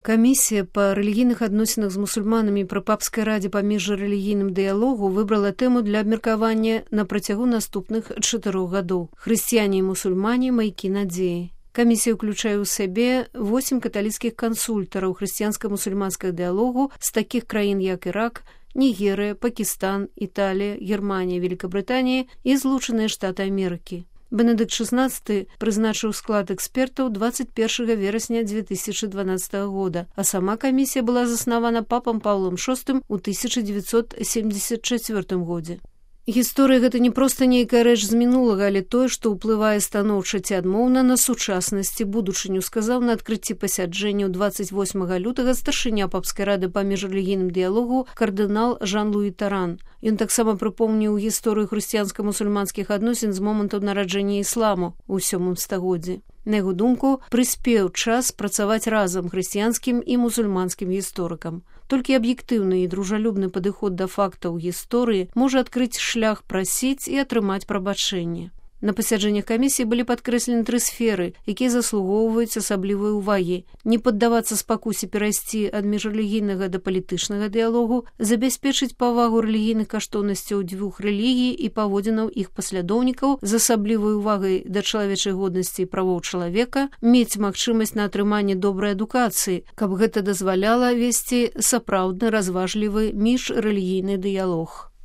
Камісія па рэлігійных адносінах з мусульманамі пры папскай радзе па міжрэлігійным дыялогу выбрала тэму для абмеркавання на працягу наступных 4 гадоў. Хрысціяне і мусульмане – маякі надзеі. Камісія ўключае ў сябе 8 каталіцкіх кансультараў хрысціянска-мусульманскага дыялогу з такіх краін, як Ірак, Нігерыя, Пакістан, Італія, Германія, Великабрытанія і Злучаныя Штаты Амерыкі. Бенедыкт XVI прызначыў склад экспертаў 21 верасня 2012 года, а сама камісія была заснавана папам Паўлам VI у 1974 годзе. Гісторыя – гэта не проста нейкая рэч з мінулага, але тое, што ўплывае станоўча ці адмоўна на сучаснасць і будучыню, сказаў на адкрыцці пасяджэння 28 лютага старшыня папскай рады па міжрэлігійным дыялогу кардынал Жан-Луі Таран. Ён таксама прыпомніў гісторыю хрысціянска-мусульманскіх адносін з моманту нараджэння ісламу ў 7 стагоддзі. На яго думку, прыспеў час працаваць разам хрысціянскім і мусульманскім гісторыкам. Толькі аб'ектыўны і дружалюбны падыход да фактаў гісторыі можа адкрыць шлях прасіць і атрымаць прабачэнне. На пасяджэннях камісіі былі падкрэслены 3 сферы, якія заслугоўваюць асаблівай увагі: не паддавацца спакусе перайсці ад міжрэлігійнага да палітычнага дыялогу, забяспечыць павагу рэлігійных каштоўнасцяў 2 рэлігій і паводзінаў іх паслядоўнікаў з асаблівай увагай да чалавечай годнасці і правоў чалавека, мець магчымасць на атрыманне добрай адукацыі, каб гэта дазваляла весці сапраўдны разважлівы міжрэлігійны дыялог.